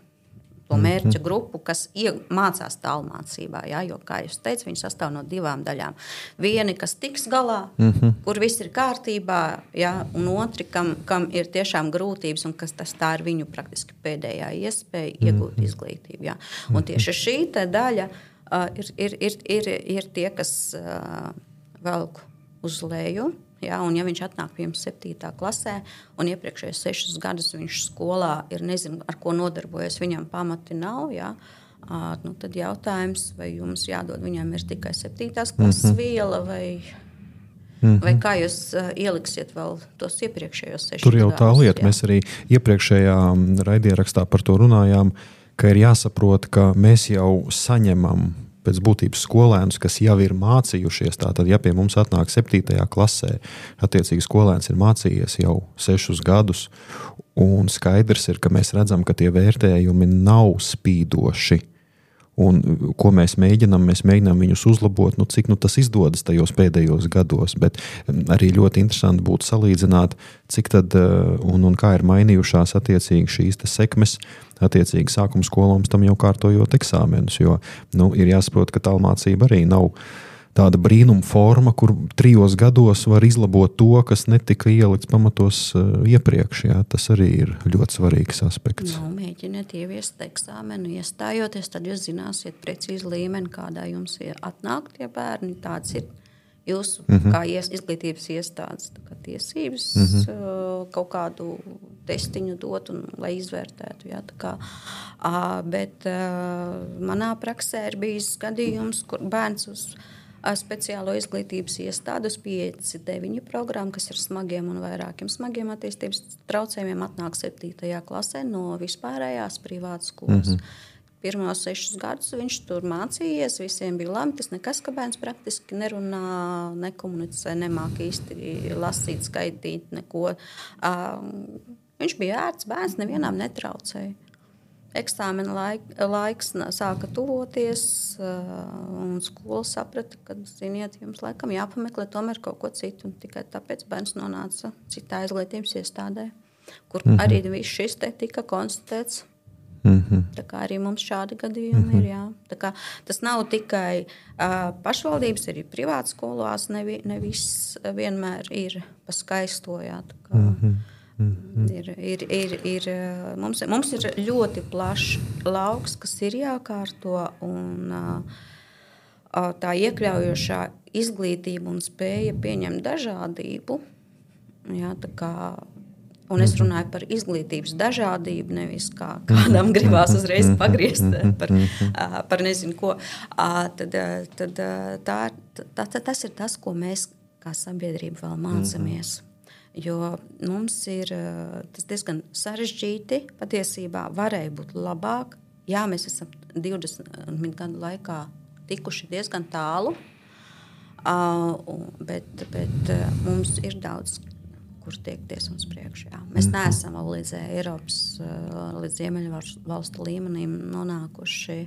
to mērķa grupu, kas mācās tālmācībā. Ja? Jo, kā jūs teicat, viņi sastāv no divām daļām. Vieni, kas tiks galā, mm-hmm. kur viss ir kārtībā, ja? Un otri, kam, kam ir tiešām grūtības un kas tas tā ir viņu praktiski pēdējā iespēja mm-hmm. iegūt izglītību. Ja? Un tieši šī te daļa uh, ir, ir, ir, ir, ir tie, kas uh, velk uz leju. Ja, un ja viņš atnāk pie jums septītā klasē un iepriekšējos sešus gadus viņš skolā ir nezinu, ar ko nodarbojas, viņam pamati nav, ja, nu, tad jautājums, vai jums jādod viņam ir tikai septītās klases mm-hmm. viela vai, mm-hmm. vai kā jūs uh, ieliksiet vēl tos iepriekšējos sešus gadus. Tur jau tā lieta, jā. Mēs arī iepriekšējā raidierakstā par to runājām, ka ir jāsaprot, ka mēs jau saņemam pēc būtības skolēnus, kas jau ir mācījušies. Tātad, ja pie mums atnāk septītajā klasē, attiecīgi skolēns ir mācījies jau sešus gadus, un skaidrs ir, ka mēs redzam, ka tie vērtējumi nav spīdoši. Un ko mēs mēģinām, mēs mēģinām viņus uzlabot, nu, cik nu, tas izdodas tajos pēdējos gados, bet arī ļoti interesanti būtu salīdzināt, cik tad un, un kā ir mainījušās attiecīgi šīs te sekmes, attiecīgi sākuma skolām tam jau kārtojot eksāmenus, jo nu, ir jāsaprot, ka tālmācība arī nav tāda brīnuma forma, kur trijos gados var izlabot to, kas netika ielikts pamatos uh, iepriekš. Jā. Tas arī ir ļoti svarīgs aspekts. Nu, mēģiniet ieviest eksāmenu, iestājoties, tad jūs zināsiet precīzi līmeni, kādā jums atnāk tie bērni. Tāds ir jūsu mm-hmm. kā ies, izglītības iestādes kā tiesības mm-hmm. uh, kaut kādu testiņu dot, un, lai izvērtētu. Jā, tā kā, uh, bet uh, manā praksē ir bijis gadījums, kur bērns uz speciālo izglītības iestādes pieci deviņi programmu, kas ir smagiem un vairākiem smagiem attīstības traucējumiem, atnāk septītajā klasē no vispārējās privātas skolas. Mm-hmm. Pirmos sešus gadus viņš tur mācījies, visiem bija labi, tas nekas, ka bērns praktiski nerunā, nekomunicē, nemāk īsti lasīt, skaitīt, neko. Uh, viņš bija ērts bērns, nevienām netraucēja. Eksāmena laik, laiks sāka tuvoties, un skola saprata, ka, ziniet, jums laikam jāpameklē tomēr kaut ko citu. Un tikai tāpēc bērns nonāca citā izglītības iestādē, kur mm-hmm. arī viss šis te tika konstatēts. Mm-hmm. Tā kā arī mums šādi gadījumi mm-hmm. ir. Jā. Tā kā tas nav tikai uh, pašvaldības, arī privātas skolās nevi, nevis vienmēr ir pa skaisto. Jā, tā kā, mm-hmm. Mm-hmm. Ir, ir, ir, ir, mums, mums ir ļoti plašs lauks, kas ir jākārto, un uh, tā iekļaujošā izglītība un spēja pieņemt dažādību. Jā, tā kā, un es runāju par izglītības dažādību, nevis kā kādam gribās uzreiz pagriezt par, uh, par nezinu ko. Uh, tad, tad, tā, tā, tā, tas ir tas, ko mēs kā sabiedrība vēl mācāmies. Jo mums ir tas diezgan sarežģīti, patiesībā varēja būt labāk. Jā, mēs esam divdesmit gadu laikā tikuši diezgan tālu, bet, bet mums ir daudz, kur tiekties uz priekšu. Jā. Mēs neesam vēl līdz Eiropas, līdz Ziemeļvalstu līmenim nonākuši.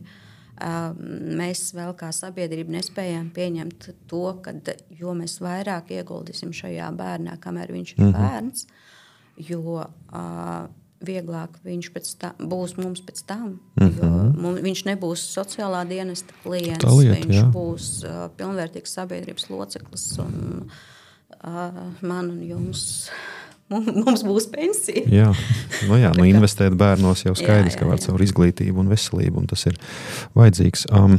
Mēs vēl kā sabiedrība nespējam pieņemt to, kad, jo mēs vairāk ieguldīsim šajā bērnā, kamēr viņš ir bērns, jo uh, vieglāk viņš pēc tā, būs mums pēc tam, jo mums, viņš nebūs sociālā dienesta klients, lieta, viņš jā. būs uh, pilnvērtīgs sabiedrības loceklis, un uh, man un jums... Mums būs pensija. Jā, nu jā, nu investēt bērnos jau skaidrs, jā, jā, jā. Ka var caur izglītību un veselību, un tas ir vajadzīgs. Um,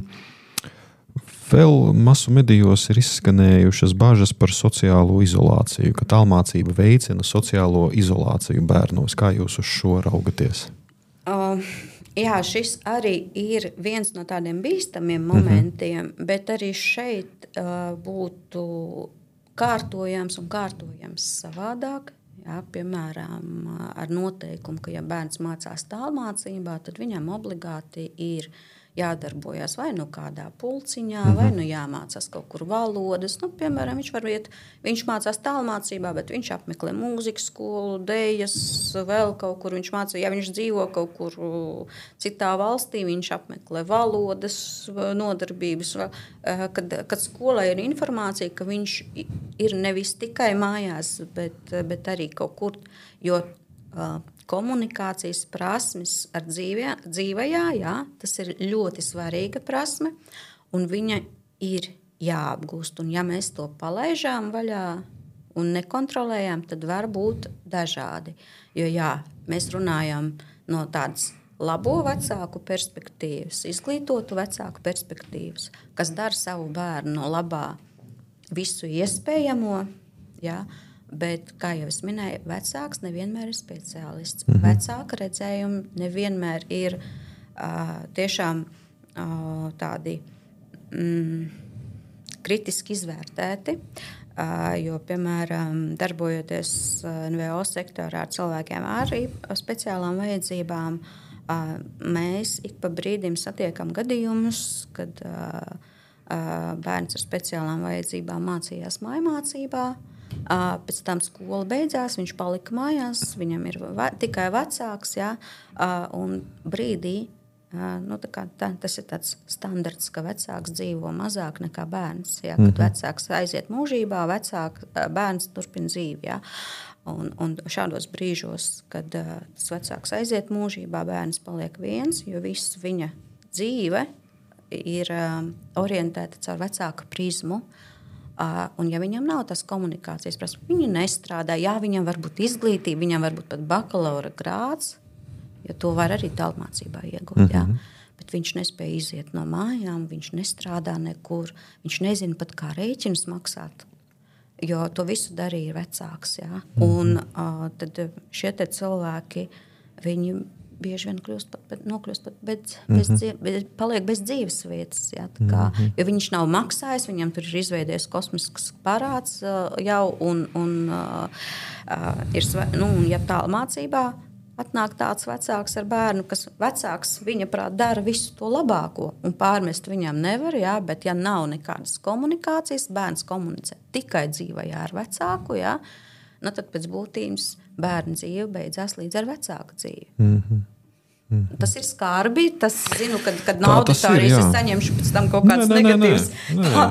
vēl masu medijos ir izskanējušas bažas par sociālo izolāciju, ka tālmācība veicina sociālo izolāciju bērnos. Kā jūs uz šo raugaties? Uh, jā, šis arī ir viens no tādiem bīstamiem momentiem, uh-huh. bet arī šeit uh, būtu kārtojams un kārtojams savādāk. Jā, piemēram, ar noteikumu, ka ja bērns mācās tālmācībā, tad viņam obligāti ir jādarbojas vai nu kādā pulciņā, mm-hmm. vai nu jāmācās kaut kur valodas. Nu, piemēram, viņš var iet, viņš mācās tālmācībā, bet viņš apmeklē mūzikas skolu, dejas, vēl kaut kur viņš mācās. Ja viņš dzīvo kaut kur citā valstī, viņš apmeklē valodas nodarbības. Kad, kad skolai ir informācija, ka viņš ir nevis tikai mājās, bet, bet arī kaut kur, jo komunikācijas prasmes ar dzīvē, dzīvajā, jā, tas ir ļoti svarīga prasme, un viņa ir jāapgūst. Un ja mēs to palaižām vaļā un nekontrolējam, tad var būt dažādi. Jo jā, mēs runājam no tādas labo vecāku perspektīvas, izglītotu vecāku perspektīvas, kas dara savu bērnu no labā visu iespējamo, jā, bet, kā jau es minēju, vecāks nevienmēr ir speciālists. Mm-hmm. Vecāka redzējumi nevienmēr ir uh, tiešām uh, tādi mm, kritiski izvērtēti. Uh, jo, piemēram, darbojoties N V O sektorā ar cilvēkiem ar speciālām vajadzībām, uh, mēs ik pa brīdim satiekam gadījumus, kad uh, uh, bērns ar speciālām vajadzībām mācījās mājmācībā, uh, pēc tam skola beidzās, viņš palika mājās, viņam ir ve- tikai vecāks, jā, uh, un brīdī, Nu, tā kā, tā, tas ir tāds standarts, ka vecāks dzīvo mazāk nekā bērns. Jā, kad mm-hmm. vecāks aiziet mūžībā, vecāk, bērns turpina dzīvi. Jā. Un, un šādos brīžos, kad uh, tas vecāks aiziet mūžībā, bērns paliek viens, jo viss viņa dzīve ir um, orientēta caur vecāka prizmu. Uh, un ja viņam nav tās komunikācijas prasmes, viņi nestrādā, jā, viņam var būt izglītība, viņam var būt pat bakalaura grāds, jo to var arī tālmācībā iegūt. Mm-hmm. Jā. Bet viņš nespēja iziet no mājām, viņš nestrādā nekur, viņš nezina pat, kā rēķinus maksāt, jo to visu darīja vecāks. Jā. Mm-hmm. Un uh, tad šie te cilvēki, viņi bieži vien kļūst pat, bet, nokļūst pat bez, mm-hmm. bez, dzīve, bez, paliek bez dzīves vietas. Jā, tā kā, mm-hmm. jo viņš nav maksājis, viņam tur ir izveidies kosmisks parāds uh, jau, un, un, uh, uh, ir, nu, un ja tālmācībā atnāk tāds vecāks ar bērnu, kas vecāks viņa prāt dara visu to labāko un pārmest viņam nevar, jā, bet ja nav nekādas komunikācijas, bērns komunicē tikai dzīvajā ar vecāku, jā, nu tad pēc būtības bērna dzīve beidzās līdz ar vecāku dzīvi. Mm-hmm. Mm-hmm. Tas ir skarbi, tas zinu, kad, kad no auditorijas es saņemšu pēc tam kaut kāds negatīvs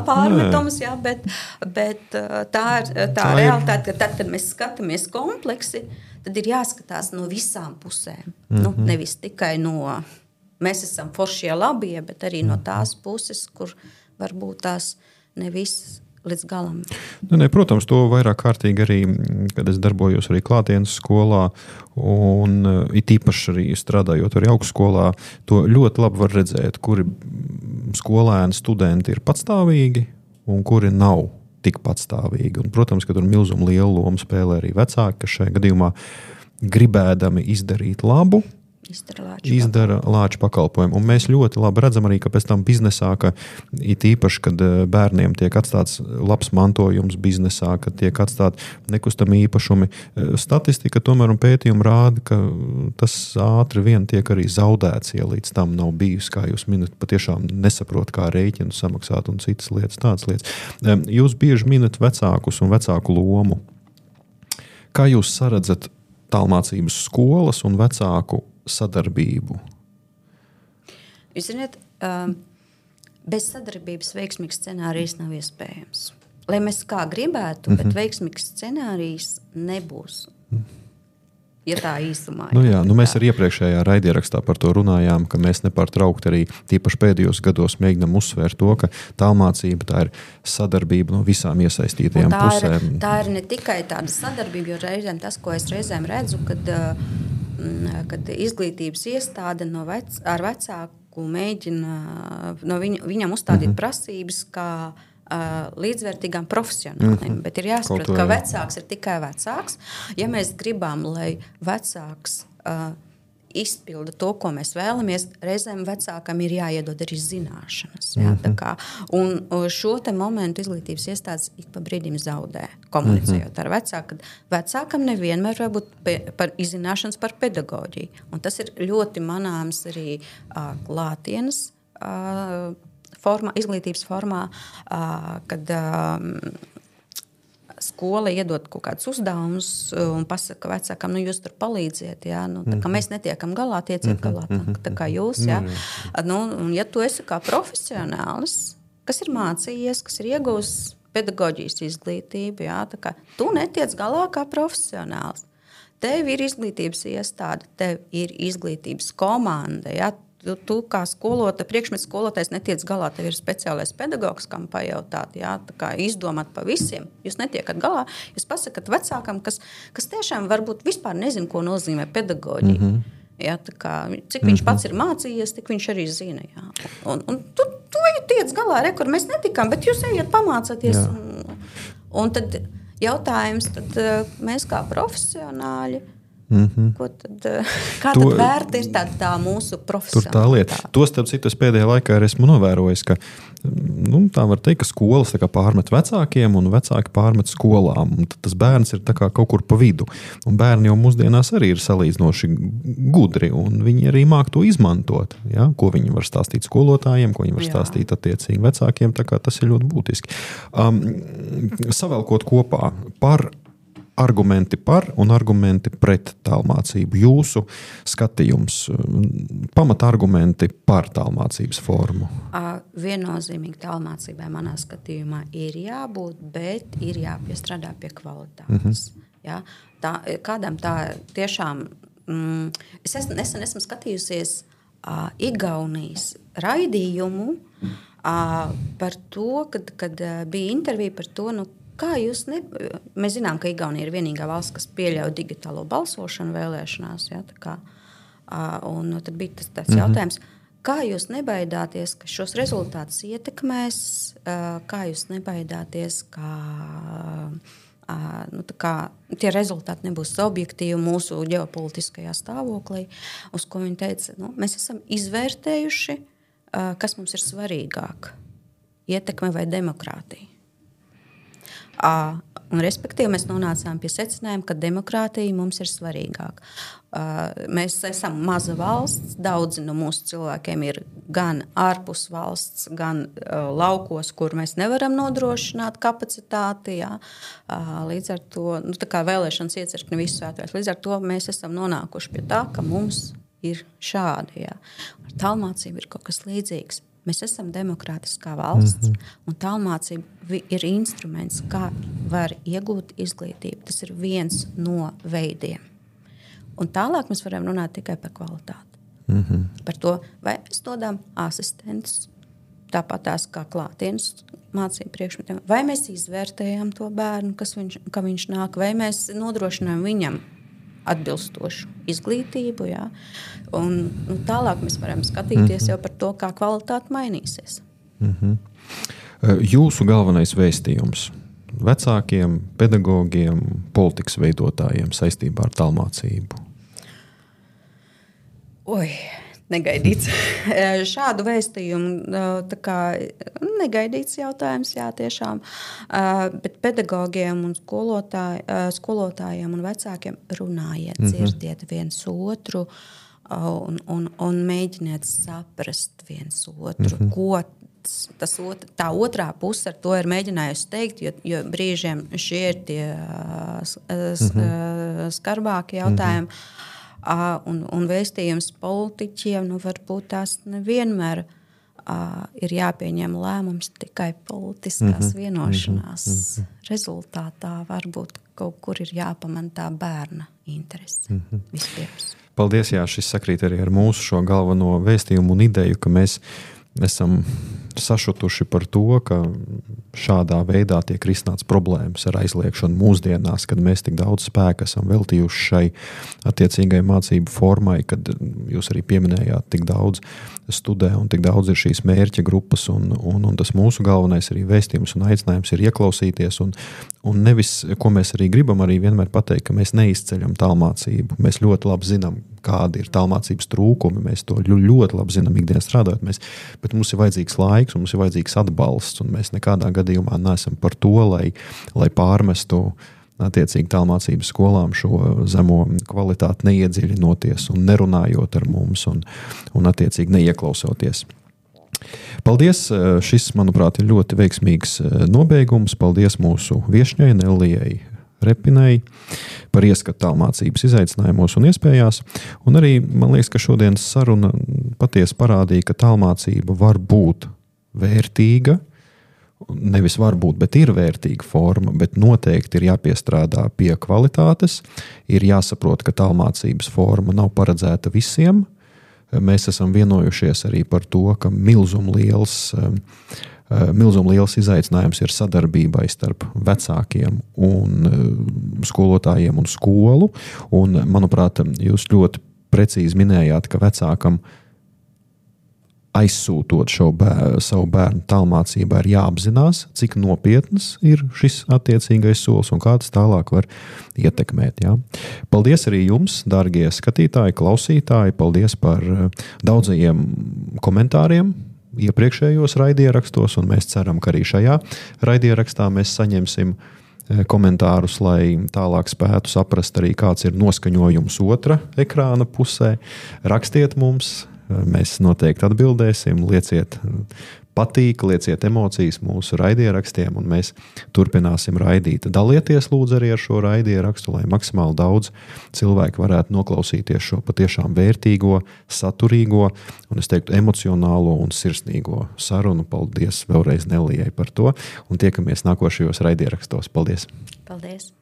pārmetums, jā, bet, bet tā ir tā, tā realitāte, ka tad, kad mēs skatāmies kompleksi, tad ir jāskatās no visām pusēm. Mm-hmm. Nu, nevis tikai no, mēs esam foršie labie, bet arī no tās puses, kur varbūt tās ne viss līdz galam. Ne, ne, protams, to vairāk kārtīgi arī, kad es darbojos arī klātienes skolā un it īpaši arī strādājot arī augstskolā, to ļoti labi var redzēt, kuri skolēni, studenti ir patstāvīgi un kuri nav tik patstāvīgi. Un, protams, ka tur milzumu lielu lomu spēlē arī vecāki, kas šajā gadījumā gribēdami izdarīt labu, izdara lāču pakalpojumu. Un mēs ļoti labi redzam arī, ka pēc tam biznesā, ka it īpaši, kad bērniem tiek atstāts labs mantojums biznesā, kad tiek atstāt nekustami īpašumi, statistika tomēr un pētījumi rāda, ka tas ātri vien tiek arī zaudēts, ja līdz tam nav bijis, kā jūs minat, patiešām nesaprot, kā rēķinu samaksāt un citas lietas, tādas lietas. Jūs bieži minat vecākus un vecāku lomu. Kā jūs saredzat tālmācības skolas un vecāku sadarbību? Jūs zināt, bez sadarbības veiksmīgs scenārijs nav iespējams. Lai mēs kā gribētu, bet mm-hmm. veiksmīgs scenārijs nebūs. Ja tā īsumā. Nu jā, nu mēs arī iepriekšējā raidierakstā par to runājām, ka mēs nepārtraukti arī tīpaši pēdējos gados mēģinām uzsvērt to, ka tālmācība tā ir sadarbība no visām iesaistītajām tā pusēm. Ir, tā ir ne tikai tāda sadarbība, jo reizēm tas, ko es reizēm redzu, kad, kad izglītības iestāde no vec, ar vecāku mēģina no viņ, viņam uzstādīt mm-hmm. prasības, kā līdzvērtīgām profesionāliem, mm-hmm. bet ir jāsaprot, ka vecāks ir tikai vecāks. Ja mēs gribam, lai vecāks uh, izpilda to, ko mēs vēlamies, reizēm vecākam ir jāiedod arī zināšanas. Jā, mm-hmm. tā kā, un šo te momentu izglītības iestādes ik pa brīdim zaudē, komunicējot mm-hmm. ar vecāku, kad vecākam nevienmēr var būt pe, par izzināšanas par pedagoģiju. Un tas ir ļoti manāms arī uh, klātienes uh, formā, izglītības formā, kad skola iedod kaut kādus uzdevumus un pasaka vecākam, nu jūs tur palīdziet, jā, nu, tā kā mēs netiekam galā, tieciet galā, tā, tā kā jūs, jā. Nu, un ja tu esi kā profesionālis, kas ir mācījies, kas ir iegūs pedagoģijas izglītību, jā, tā kā tu netiec galā kā profesionālis, tev ir izglītības iestāde, tev ir izglītības komanda. Ja? Tu, tu kā skolota, priekšmets skolotājs netiec galā, tev ir speciālais pedagogs, kam pajautāt, ja? Tā kā izdomāt pa visiem. Jūs netiekat galā, jūs pasakat vecākam, kas, kas tiešām varbūt vispār nezin, ko nozīmē pedagoģija. Mm-hmm. Ja? Tā kā, cik viņš mm-hmm. pats ir mācījies, tik viņš arī zina. Ja? Un, un tu, tu tiec galā, re, kur mēs netikām, bet jūs ejiet pamācāties. Un, un tad jautājums, tad mēs kā profesionāļi, mm-hmm. ko tad, kā to, tad vērta ir tā, tā mūsu profesionālitāte? Tur tā lieta. To, starp citu, es pēdējā laikā arī esmu novērojis, ka nu, tā var teikt, ka skolas tā kā pārmet vecākiem un vecāki pārmet skolām. Un tas bērns ir tā kā kaut kur pa vidu. Un bērni jau mūsdienās arī ir salīdzinoši gudri, un viņi arī māk to izmantot. Ja? Ko viņi var stāstīt skolotājiem, ko viņi var Jā. stāstīt attiecīgi vecākiem. Tā kā tas ir ļoti būtiski. Um, savēlkot kopā par argumenti par un argumenti pret tālmācību. Jūsu skatījums, pamatargumenti par tālmācības formu. Viennozīmīgi tālmācībai manā skatījumā ir jābūt, bet ir jāpiestrādā pie kvalitātes. Mm-hmm. Ja? Tā, kādam tā tiešām... Mm, es esmu, nesen esmu skatījusies uh, Igaunijas raidījumu uh, par to, kad, kad uh, bija intervija par to, nu, kā jūs ne... Mēs zinām, ka Igaunija ir vienīgā valsts, kas pieļauj digitālo balsošanu vēlēšanās. Ja, tā kā, un tad bija tas tāds mm-hmm. jautājums, kā jūs nebaidāties, ka šos rezultātus ietekmēs, kā jūs nebaidāties, ka nu, tā kā, tie rezultāti nebūs objektīvi mūsu ģeopolitiskajā stāvoklī, uz ko viņi teica, nu, mēs esam izvērtējuši, kas mums ir svarīgāk, ietekme vai demokrātija. Uh, un respektīvi mēs nonācām pie secinājuma, ka demokrātija mums ir svarīgāka. Uh, mēs esam maza valsts, daudzi no mūsu cilvēkiem ir gan ārpus valsts, gan uh, laukos, kur mēs nevaram nodrošināt kapacitāti. Jā. Uh, līdz ar to, nu, tā kā vēlēšanas iecirkni visu svētvēs, līdz ar to mēs esam nonākuši pie tā, ka mums ir šādi. Jā. Ar tālmācību ir kaut kas līdzīgs. Mēs esam demokrātiskā valsts, mm-hmm. un tālmācība ir instruments, kā var iegūt izglītību. Tas ir viens no veidiem. Un tālāk mēs varam runāt tikai par kvalitāti. Mm-hmm. Par to, vai mēs dodam asistentus, tāpat tās kā klātienes mācību priekšmetiem, vai mēs izvērtējam to bērnu, kas viņš, ka viņš nāk, vai mēs nodrošinām viņam atbilstošu izglītību. Jā. Un, un tālāk mēs varam skatīties mm-hmm. jau par to, kā kvalitāte mainīsies. Mm-hmm. Jūsu galvenais vēstījums vecākiem, pedagogiem, politikas veidotājiem saistībā ar tālmācību? Oi, negaidīts. Šādu vēstījumu tā kā negaidīts jautājums, jā, tiešām. Bet pedagogiem un skolotāj, skolotājiem un vecākiem runājiet, mm-hmm. dzirdiet viens otru un, un, un mēģiniet saprast viens otru, mm-hmm. ko tas otr, tā otrā puse ar to ir mēģinājusi teikt, jo, jo brīžiem šie ir tie mm-hmm. skarbākie jautājumi. Mm-hmm. Uh, un, un vēstījums politiķiem, nu, varbūt tās nevienmēr uh, ir jāpieņem lēmums tikai politiskās mm-hmm. vienošanās mm-hmm. rezultātā. Varbūt kaut kur ir jāpamana tā bērna interese mm-hmm. vispirms. Paldies, jā, šis sakrīt arī ar mūsu šo galveno vēstījumu un ideju, ka mēs esam sašutuši par to, ka šādā veidā tiek risināts problēmas ar aizliekšanu mūsdienās, kad mēs tik daudz spēka esam veltījuši šai attiecīgai mācību formai, kad jūs arī pieminējāt tik daudz studē un tik daudz ir šīs mērķa grupas un, un, un tas mūsu galvenais arī vēstījums un aicinājums ir ieklausīties un, un nevis, ko mēs arī gribam arī vienmēr pateikt, ka mēs neizceļam tālmācību. Mēs ļoti labi zinām, kādi ir tālmācības trūkumi, mēs to ļoti labi zinām ikdienas strādājot, mēs, bet mums ir vajadzīgs laiks, mums ir vajadzīgs atbalsts, un mēs nekādā gadījumā neesam par to, lai, lai pārmestu attiecīgi tālmācības skolām šo zemo kvalitāti neiedziļinoties un nerunājot ar mums un, un attiecīgi neieklausoties. Paldies! Šis, manuprāt, ir ļoti veiksmīgs nobeigums. Paldies mūsu viešņai Nellijai Repinai par ieskatu tālmācības izaicinājumos un iespējās. Un arī man liekas, ka šodienas saruna patiesi parādīja, ka tālmācība var būt vērtīga nevis varbūt, bet ir vērtīga forma, bet noteikti ir jāpiestrādā pie kvalitātes, ir jāsaprot, ka tālmācības forma nav paredzēta visiem. Mēs esam vienojušies arī par to, ka milzum liels, milzum liels izaicinājums ir sadarbībai starp vecākiem un skolotājiem un skolu. Un, manuprāt, jūs ļoti precīzi minējāt, ka vecākam aizsūtot šo bēr, savu bērnu tālmācībā ir jāapzinās, cik nopietnas ir šis attiecīgais solis un kā tas tālāk var ietekmēt. Jā. Paldies arī jums, dārgie skatītāji, klausītāji, paldies par daudzajiem komentāriem iepriekšējos raidierakstos, un mēs ceram, ka arī šajā raidierakstā mēs saņemsim komentārus, lai tālāk spētu saprast arī, kāds ir noskaņojums otra ekrāna pusē. Rakstiet mums, mēs noteikti atbildēsim, lieciet patīk, lieciet emocijas mūsu raidierakstiem, un mēs turpināsim raidīt. Dalieties lūdzu arī ar šo raidierakstu, lai maksimāli daudz cilvēku varētu noklausīties šo patiešām vērtīgo, saturīgo, un es teiktu emocionālo un sirsnīgo sarunu. Paldies vēlreiz Nelijai par to, un tiekamies nākošajos raidierakstos. Paldies! Paldies!